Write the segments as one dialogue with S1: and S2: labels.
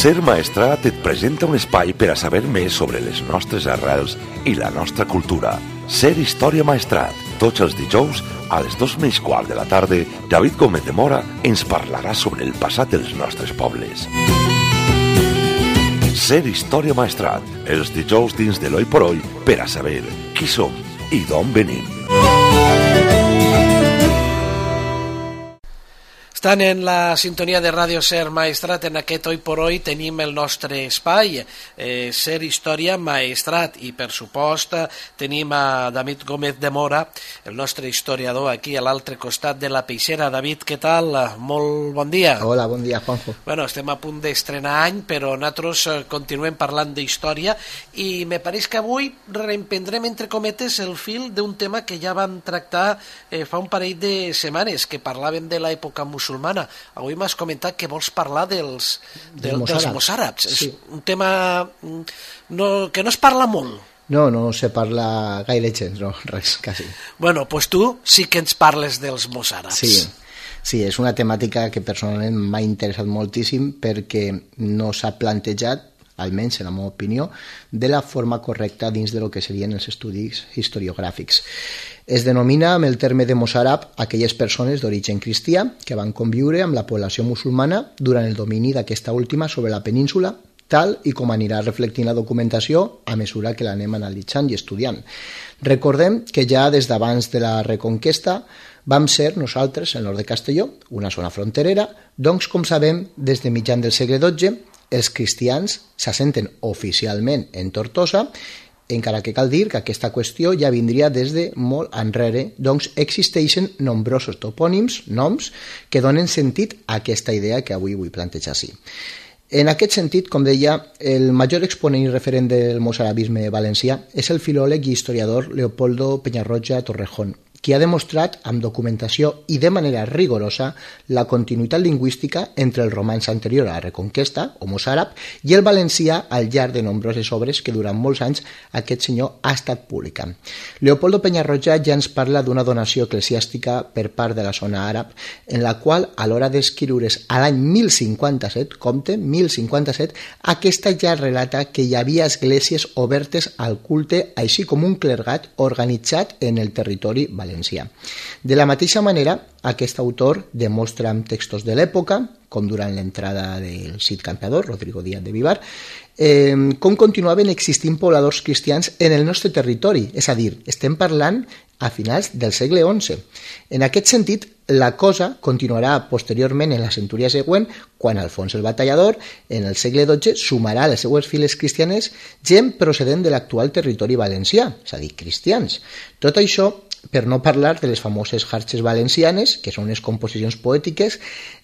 S1: Ser Maestrat et presenta un espai per a saber més sobre les nostres arrels i la nostra cultura. Ser Història Maestrat. Tots els dijous, a les 2:15 de la tarda, David Gómez de Mora ens parlarà sobre el passat dels nostres pobles. Ser Història Maestrat. Els dijous dins de l'Hoy por Hoy per a saber qui som i d'on venim.
S2: Estan en la sintonia de Ràdio Ser Maestrat. En aquest Hoy por Hoy tenim el nostre espai, Ser Història Maestrat, i per supost tenim a David Gómez de Mora, el nostre historiador, aquí a l'altre costat de la peixera. David, què tal? Molt bon dia.
S3: Hola, bon dia, Juanjo.
S2: Bueno, estem a punt d'estrenar any, però nosaltres continuem parlant d'història i me pareix que avui reemprendrem, entre cometes, el fil d'un tema que ja vam tractar fa un parell de setmanes, que parlàvem de l'època musulmana. Avui m'has comentat que vols parlar dels mossàrabs. Sí. És un tema que no es parla molt.
S3: No se parla gaire gens, no, res, quasi.
S2: Bueno, doncs tu sí que ens parles dels mossàrabs.
S3: Sí, és una temàtica que personalment m'ha interessat moltíssim perquè no s'ha plantejat, almenys en la meva opinió, de la forma correcta dins de lo que serien els estudis historiogràfics. Es denomina amb el terme de mossàrab aquelles persones d'origen cristià que van conviure amb la població musulmana durant el domini d'aquesta última sobre la península, tal i com anirà reflectint la documentació a mesura que l'anem analitzant i estudiant. Recordem que ja des d'abans de la Reconquesta vam ser nosaltres, el nord de Castelló, una zona fronterera, doncs, com sabem, des de mitjan del segle XII, els cristians s'assenten oficialment en Tortosa, encara que cal dir que aquesta qüestió ja vindria des de molt enrere, doncs existeixen nombrosos topònims, noms, que donen sentit a aquesta idea que avui vull plantejar així. En aquest sentit, com deia, el major exponent i referent del mossarabisme valencià és el filòleg i historiador Leopoldo Peñarroya Torrejón, qui ha demostrat amb documentació i de manera rigorosa la continuïtat lingüística entre el romanç anterior a la Reconquesta, o mossàrab, i el valencià al llarg de nombroses obres que durant molts anys aquest senyor ha estat publicant. Leopoldo Peñarroya ja ens parla d'una donació eclesiàstica per part de la zona àrab, en la qual, a l'hora d'escriure's a l'any 1057, compte, 1057, aquesta ja relata que hi havia esglésies obertes al culte, així com un clergat organitzat en el territori valencià. De la mateixa manera, aquest autor demostra amb textos de l'època, com durant l'entrada del Cid Campeador, Rodrigo Díaz de Vivar, com continuaven existint pobladors cristians en el nostre territori, és a dir, estem parlant a finals del segle XI. En aquest sentit, la cosa continuarà posteriorment en la centúria següent, quan Alfons el Batallador, en el segle XII, sumarà a les seues files cristianes gent procedent de l'actual territori valencià, és a dir, cristians. Tot això per no parlar de les famoses jarxes valencianes, que són unes composicions poètiques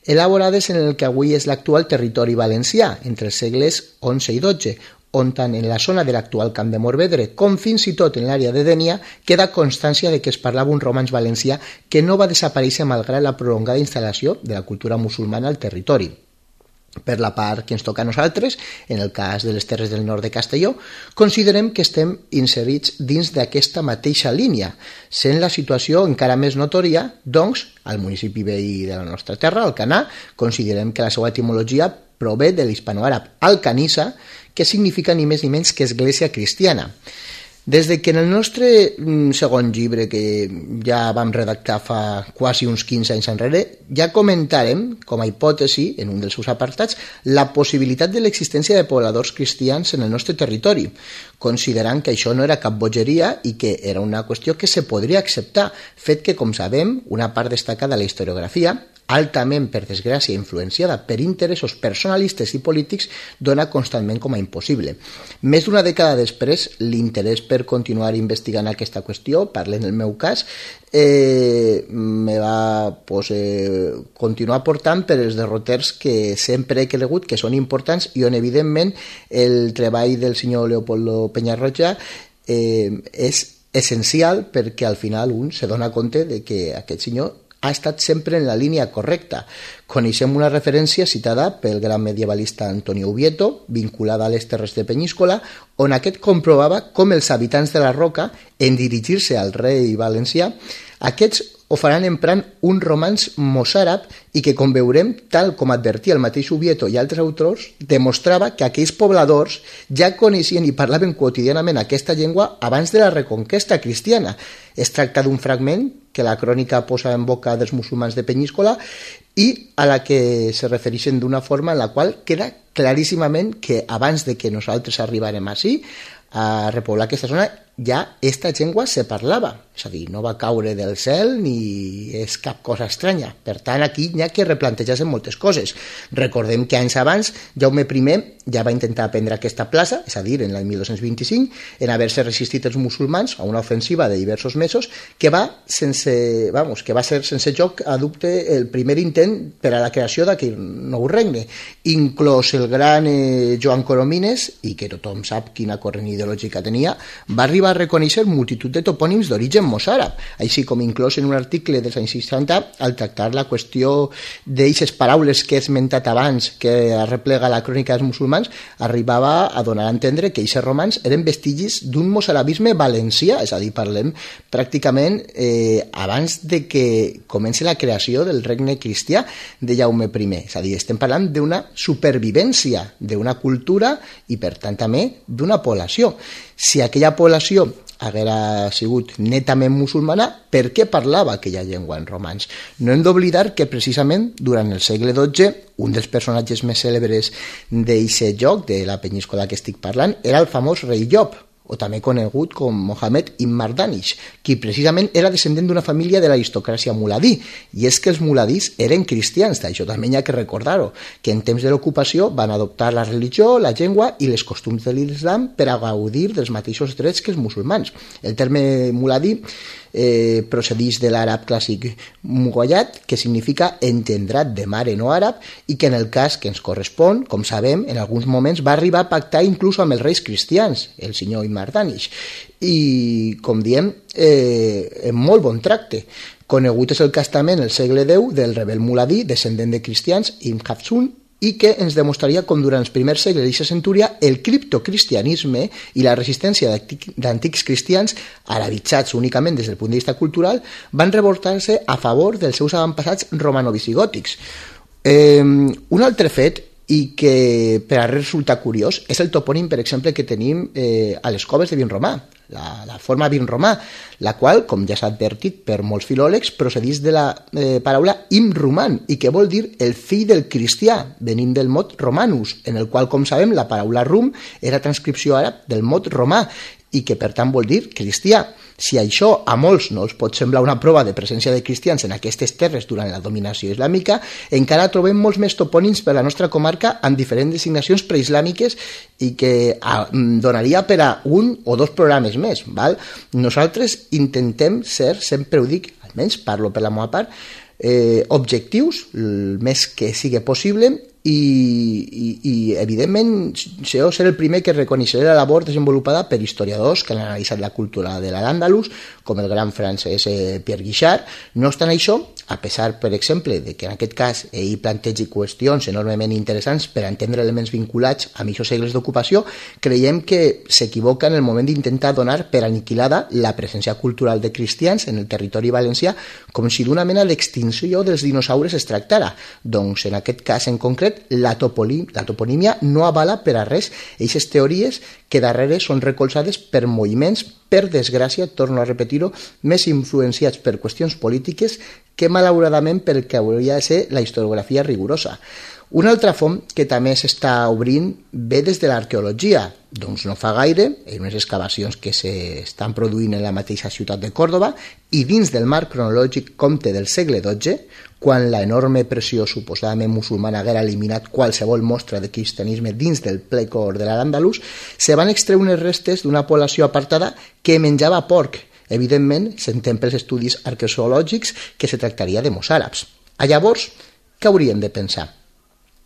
S3: elaborades en el que avui és l'actual territori valencià, entre els segles XI i XII, on tant en la zona de l'actual Camp de Morvedre com fins i tot en l'àrea de Dénia queda constància de que es parlava un romanç valencià que no va desaparèixer malgrat la prolongada instal·lació de la cultura musulmana al territori. Per la part que ens toca a nosaltres, en el cas de les terres del nord de Castelló, considerem que estem inserits dins d'aquesta mateixa línia, sent la situació encara més notòria, doncs, al municipi veí de la nostra terra, Alcanar, considerem que la seva etimologia prové de l'hispanoàrab alcanissa, que significa ni més ni menys que església cristiana. Des de que en el nostre segon llibre, que ja vam redactar fa quasi uns 15 anys enrere, ja comentarem, com a hipòtesi, en un dels seus apartats, la possibilitat de l'existència de pobladors cristians en el nostre territori, considerant que això no era cap bogeria i que era una qüestió que se podria acceptar, fet que, com sabem, una part destacada de la historiografia, altament, per desgràcia, influenciada per interessos personalistes i polítics, dona constantment com a impossible. Més d'una dècada després, l'interès per continuar investigant aquesta qüestió, parlant del meu cas, me va continuar portant per els derroters que sempre he cregut que són importants i on, evidentment, el treball del senyor Leopoldo Peñarroya és essencial perquè al final un se dona compte de que aquest senyor ha estat sempre en la línia correcta. Coneixem una referència citada pel gran medievalista Antonio Ubieto, vinculada a les terres de Penyíscola, on aquest comprovava com els habitants de la Roca, en dirigir-se al rei valencià, aquests ho faran emprant un romanç mossàrab i que, com veurem, tal com advertia el mateix Ubieto i altres autors, demostrava que aquells pobladors ja coneixien i parlaven quotidianament aquesta llengua abans de la reconquesta cristiana. Es tracta d'un fragment que la crònica posa en boca dels musulmans de Penyíscola i a la que se refereixen d'una forma en la qual queda claríssimament que abans de que nosaltres arribarem ací a repoblar aquesta zona ja esta llengua se parlava, és a dir, no va caure del cel ni és cap cosa estranya. Per tant, aquí n'hi ha que replantejar-se moltes coses. Recordem que anys abans Jaume I ja va intentar prendre aquesta plaça, és a dir, en l'any 1225, en haver-se resistit els musulmans a una ofensiva de diversos mesos que va ser sense joc a dubte el primer intent per a la creació d'aquell nou regne, inclòs el gran Joan Coromines, i que tothom sap quina corrent ideològica tenia, va arribar a reconèixer multitud de topònims d'origen mossàrab, així com inclòs en un article dels anys 60 al tractar la qüestió d'eixes paraules que he esmentat abans que arreplega la crònica dels musulmans, arribava a donar a entendre que aquests romans eren vestigis d'un mossarabisme valencià, és a dir, parlem pràcticament abans de que comenci la creació del regne cristià de Jaume I, és a dir, estem parlant d'una supervivència d'una cultura i per tant també d'una població. Si aquella població haguera sigut netament musulmana, per què parlava aquella llengua en romans? No hem d'oblidar que precisament durant el segle XII un dels personatges més cèlebres d'aquest joc, de la Penyíscola que estic parlant, era el famós rei Llop, o també conegut com Mohammed ibn Mardanish, qui precisament era descendent d'una família de l'aristocràcia muladí, i és que els muladís eren cristians, d'això també hi ha que recordar-ho, que en temps de l'ocupació van adoptar la religió, la llengua i les costums de l'islam per a gaudir dels mateixos drets que els musulmans. El terme muladí procedeix de l'àrab clàssic mugollat, que significa engendrat de mare no àrab, i que en el cas que ens correspon, com sabem, en alguns moments va arribar a pactar inclús amb els reis cristians, el senyor Ibn Mardanish, i, com diem, en molt bon tracte. Conegut és el cas també en el segle X del rebel muladí, descendent de cristians, Ibn Hafsun, i que ens demostraria com durant els primers segles d'aquesta centúria el criptocristianisme i la resistència d'antics cristians, arabitzats únicament des del punt de vista cultural, van revoltar-se a favor dels seus avantpassats romano-visigòtics. Un altre fet, i que per a resulta curiós, és el topònim, per exemple, que tenim a les coves de Vinromà, la forma vinromà, la qual, com ja s'ha advertit per molts filòlegs, procedeix de la paraula imruman, i que vol dir el fill del cristià, venint del mot romanus, en el qual, com sabem, la paraula rum era transcripció àrab del mot romà, i que per tant vol dir cristià. Si això a molts no els pot semblar una prova de presència de cristians en aquestes terres durant la dominació islàmica, encara trobem molts més topònims per a la nostra comarca amb diferents designacions preislàmiques i que donaria per a un o dos programes més. Val? Nosaltres intentem ser, sempre ho dic, almenys parlo per la meva part, objectius, el més que sigui possible, i evidentment jo seré el primer que reconeixeré la labor desenvolupada per historiadors que han analitzat la cultura de l'Al-Àndalus, com el gran francès Pierre Guichard. No obstant això, a pesar, per exemple, de que en aquest cas ell plantegi qüestions enormement interessants per a entendre elements vinculats a aquests segles d'ocupació, creiem que s'equivoca en el moment d'intentar donar per aniquilada la presència cultural de cristians en el territori valencià com si d'una mena d'extinció dels dinosaures es tractara. Doncs en aquest cas en concret la toponímia no avala per a res aquestes teories que darrere són recolzades per moviments, per desgràcia, torno a repetir-ho, més influenciats per qüestions polítiques que malauradament pel que hauria de ser la historiografia rigorosa. Una altra font que també s'està obrint ve des de l'arqueologia. Doncs no fa gaire, en unes excavacions que s'estan produint en la mateixa ciutat de Còrdova i dins del marc cronològic comte del segle XII, quan la enorme pressió suposadament musulmana haguera eliminat qualsevol mostra de cristianisme dins del ple cor de l'Al-Àndalus, se van extreure unes restes d'una població apartada que menjava porc. Evidentment, s'entén pels estudis arqueològics que se tractaria de mossàrabs. Llavors, què hauríem de pensar?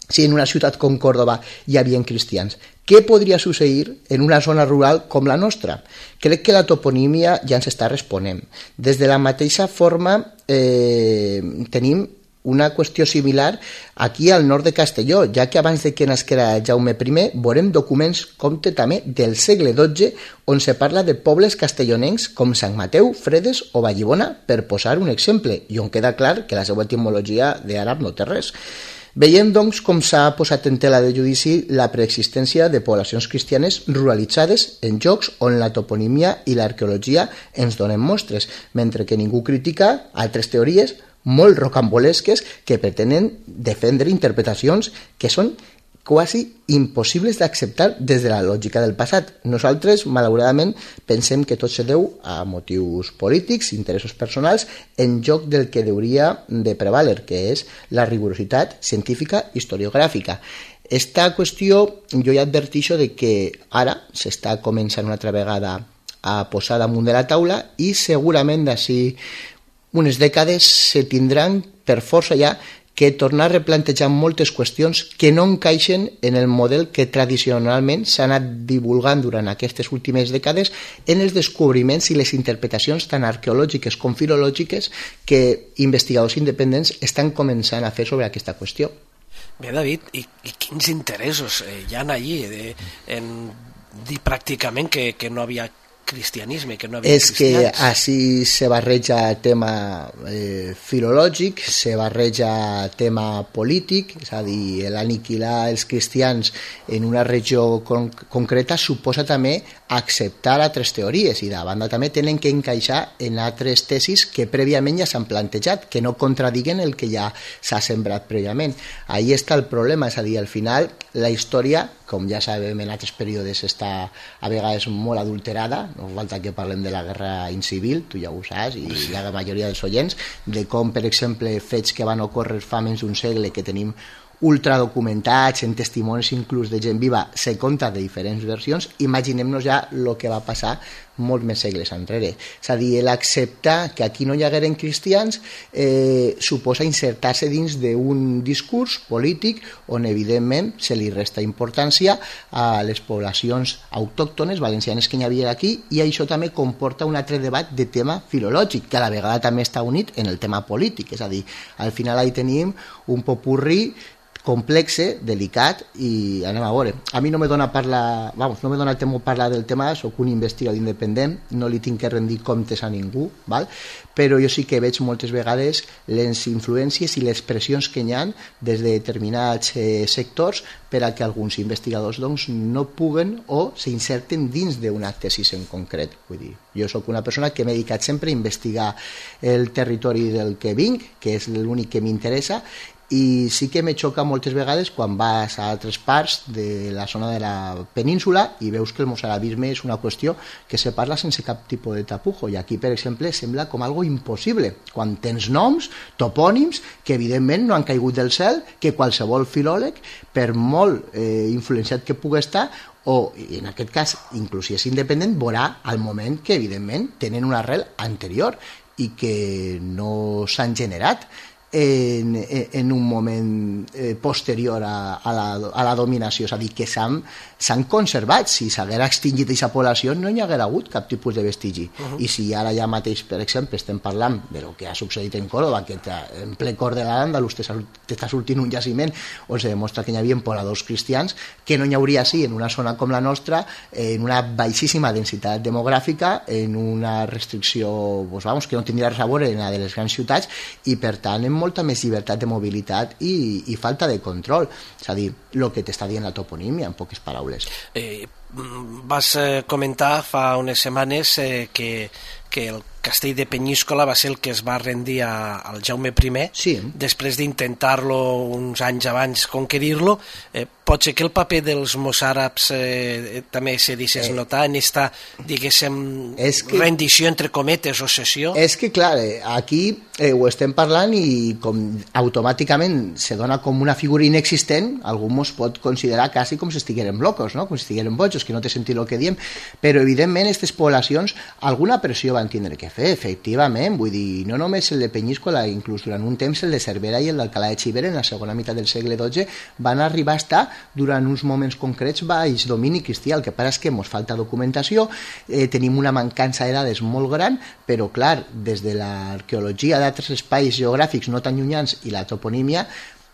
S3: Si en una ciutat com Còrdova hi havia cristians, què podria succeir en una zona rural com la nostra? Crec que la toponímia ja ens està responent. Des de la mateixa forma tenim una qüestió similar aquí al nord de Castelló, ja que abans de que nasquera Jaume I veurem documents, compte també, del segle XII, on se parla de pobles castellonencs com Sant Mateu, Fredes o Vallibona, per posar un exemple, i on queda clar que la seva etimologia d'àrab no té res. Veiem, doncs, com s'ha posat en tela de judici la preexistència de poblacions cristianes ruralitzades en llocs on la toponímia i l'arqueologia ens donen mostres, mentre que ningú critica altres teories molt rocambolesques que pretenen defendre interpretacions que són quasi impossibles d'acceptar des de la lògica del passat. Nosaltres, malauradament, pensem que tot se deu a motius polítics, interessos personals, en lloc del que hauria de prevaler, que és la rigorositat científica historiogràfica. Esta qüestió jo ja advertixo de que ara s'està començant una altra vegada a posar damunt de la taula i segurament d'ací unes dècades se tindran per força ja que tornar a replantejar moltes qüestions que no encaixen en el model que tradicionalment s'ha anat divulgant durant aquestes últimes dècades en els descobriments i les interpretacions tant arqueològiques com filològiques que investigadors independents estan començant a fer sobre aquesta qüestió.
S2: Bé, David, i quins interessos hi ha allí en dir pràcticament que no havia cristianisme, que no havia
S3: és
S2: cristians.
S3: Que així se barreja tema filològic, se barreja tema polític, és a dir, l'aniquilar els cristians en una regió concreta suposa també acceptar altres teories i de banda també tenen que encaixar en altres tesis que prèviament ja s'han plantejat, que no contradiguen el que ja s'ha sembrat prèviament. Ahí està el problema, és a dir, al final la història, com ja sabem en altres períodes, està a vegades molt adulterada, no falta que parlem de la guerra incivil, tu ja ho saps, i la majoria dels oients, de com, per exemple, fets que van ocórrer fa menys d'un segle, que tenim ultradocumentats, en testimonis inclús de gent viva, se conta de diferents versions, imaginem-nos ja el que va passar molts més segles enrere. És a dir, l'acceptar que aquí no hi hagueren cristians suposa insertar-se dins d'un discurs polític on evidentment se li resta importància a les poblacions autòctones valencianes que hi havia aquí, i això també comporta un altre debat de tema filològic, que a la vegada també està unit en el tema polític. És a dir, al final ahí tenim un popurrí complexe, delicat, i anem a veure. A mi no me dona no me dona temor parlar del tema, soc un investigador independent, no li tinc que rendir comptes a ningú, val? Però jo sí que veig moltes vegades les influències i les pressions que hi ha des de determinats sectors per a que alguns investigadors doncs, no puguen o s'inserten dins d'una tesis en concret. Vull dir, jo sóc una persona que m'he dedicat sempre a investigar el territori del que vinc, que és l'únic que m'interessa, i sí que me xoca moltes vegades quan vas a altres parts de la zona de la península i veus que el mozarabisme és una qüestió que se parla sense cap tipus de tapujo, i aquí, per exemple, sembla com algo impossible, quan tens noms, topònims, que evidentment no han caigut del cel, que qualsevol filòleg, per molt influenciat que pugui estar, o en aquest cas, inclús si és independent, veurà al moment que evidentment tenen una arrel anterior i que no s'han generat en un moment posterior a la dominació, és a dir, que s'han conservat. Si s'haguera extingit aquesta població no hi haguera hagut cap tipus de vestigi. I si ara ja mateix, per exemple, estem parlant de lo que ha succeït en Córdoba, que en ple cor de l'Àndalus t'està sortint un jaciment on se demostra que hi havia pobladors cristians, que no hi hauria així en una zona com la nostra, en una baixíssima densitat demogràfica, en una restricció que no tindria res a veure en la de les grans ciutats, i per tant en molta més llibertat de mobilitat i falta de control. És a dir, el que t'està dient la toponímia, en poques paraules.
S2: Vas comentar fa unes setmanes que el castell de Penyíscola va ser el que es va rendir al Jaume I,
S3: sí.
S2: Després d'intentar-lo uns anys abans conquerir-lo. Pot ser que el paper dels mossàrabs també se deixés notar en esta, diguéssim, rendició entre cometes o cessió?
S3: És que, clar, aquí ho estem parlant i com automàticament se dona com una figura inexistent, algú mos pot considerar quasi com si estigueren locos, no? Com si estigueren bojos. bojos, que no té sentit el que diem, però evidentment aquestes poblacions alguna pressió van tindre que fer, efectivament, vull dir, no només el de Penyíscola, inclús durant un temps el de Cervera i el d'Alcalà de Xivert en la segona meitat del segle XII van arribar a estar durant uns moments concrets baix domini cristià. El que passa és que ens falta documentació, tenim una mancança de dades molt gran, però clar, des de l'arqueologia d'altres espais geogràfics no tan llunyans i la toponímia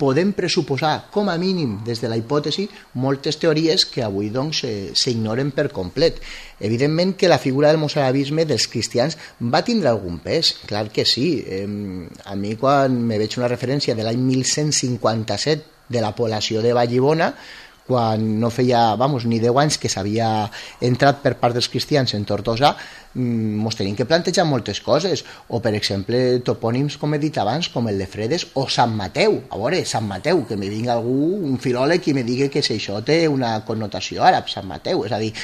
S3: podem pressuposar, com a mínim des de la hipòtesi, moltes teories que avui doncs s'ignoren per complet. Evidentment que la figura del mozarabisme dels cristians va tindre algun pes, clar que sí. A mi quan me veig una referència de l'any 1157 de la població de Vallibona, quan no feia ni 10 anys que s'havia entrat per part dels cristians en Tortosa, ens tenim que plantejar moltes coses, o per exemple topònims, com he dit abans, com el de Fredes o Sant Mateu. A veure, Sant Mateu, que me vingui algú, un filòleg, i me digui que si això té una connotació àrab, Sant Mateu. És a dir,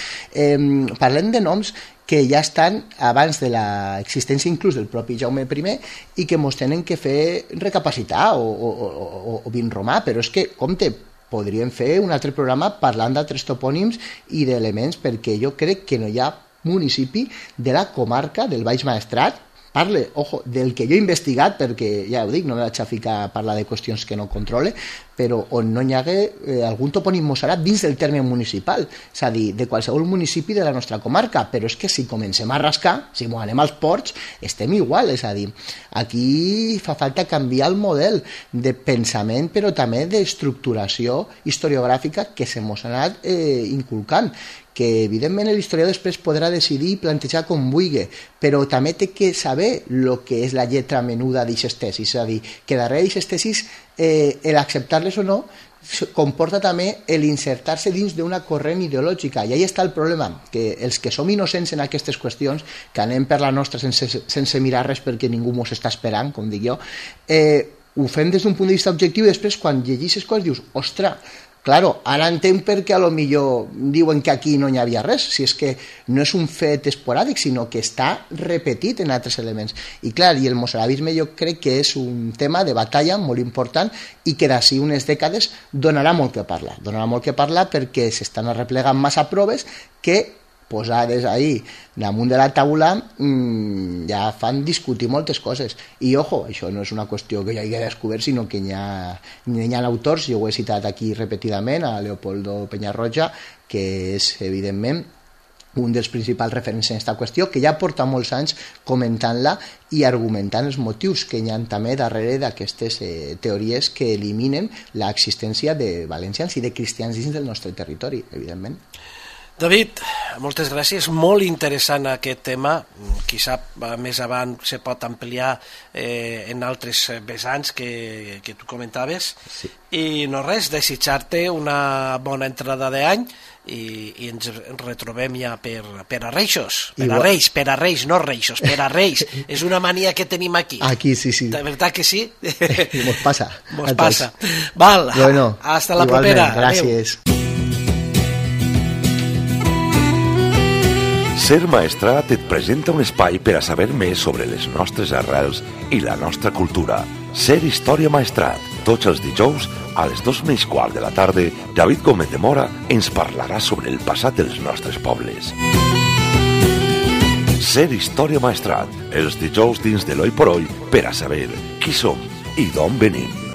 S3: parlem de noms que ja estan abans de l'existència inclús del propi Jaume I i que ens tenen que fer recapacitar o vin romà, però és que, compte, podríem fer un altre programa parlant d'altres topònims i d'elements, perquè jo crec que no hi ha municipi de la comarca del Baix Maestrat, parle, ojo, del que jo he investigat, perquè ja ho dic, no me vaig a ficar a parlar de qüestions que no controle, però on no hi hagué algun topònim mossàrab dins del terme municipal, és a dir, de qualsevol municipi de la nostra comarca, però és que si comencem a rascar, si m'ho anem als ports, estem igual, és a dir, aquí fa falta canviar el model de pensament, però també d'estructuració historiogràfica que se mos ha anat inculcant, que evidentment l'historiador després podrà decidir i plantejar com vulgui, però també té que saber el que és la lletra menuda d'aquestes tesis, és a dir, que darrere d'aquestes tesis l'acceptar-les o no comporta també l'insertar-se dins d'una corrent ideològica, i ahí està el problema, que els que som innocents en aquestes qüestions, que anem per la nostra sense mirar res perquè ningú mos està esperant, com dic jo, ho fem des d'un punt de vista objectiu, i després quan llegeixes coses dius, ostres, claro, ara entenc perquè a lo millor diuen que aquí no hi havia res, si és que no és un fet esporàdic, sinó que està repetit en altres elements. I clar, i el mozarabisme jo crec que és un tema de batalla molt important i que d'ací unes dècades donarà molt que parlar perquè s'estan arreplegant massa proves que posades ahí damunt de la taula ja fan discutir moltes coses. I ojo, això no és una qüestió que jo hagi descobert, sinó que hi ha autors, jo ho he citat aquí repetidament, a Leopoldo Peñarroja, que és evidentment un dels principals referents en aquesta qüestió, que ja porta molts anys comentant-la i argumentant els motius que hi ha també darrere d'aquestes teories que eliminen l'existència de valencians i de cristians dins del nostre territori, evidentment.
S2: David, moltes gràcies, molt interessant aquest tema, qui sap més avant se pot ampliar en altres vessants que tu comentaves, sí. I no res, desitjar-te una bona entrada d'any i ens retrobem ja per a Reixos, per a Reis, no Reixos, per a Reis, és una mania que tenim aquí.
S3: Aquí, sí.
S2: De veritat que sí?
S3: Mos passa.
S2: Val,
S3: bueno,
S2: hasta la propera.
S3: Gràcies. Adeu.
S1: Ser Maestrat et presenta un espai per a saber més sobre les nostres arrels i la nostra cultura. Ser Història Maestrat. Tots els dijous, a les 2:15 de la tarda, David Gómez de Mora ens parlarà sobre el passat dels nostres pobles. Ser Història Maestrat. Els dijous dins de l'Oi por Oi per a saber qui som i d'on venim.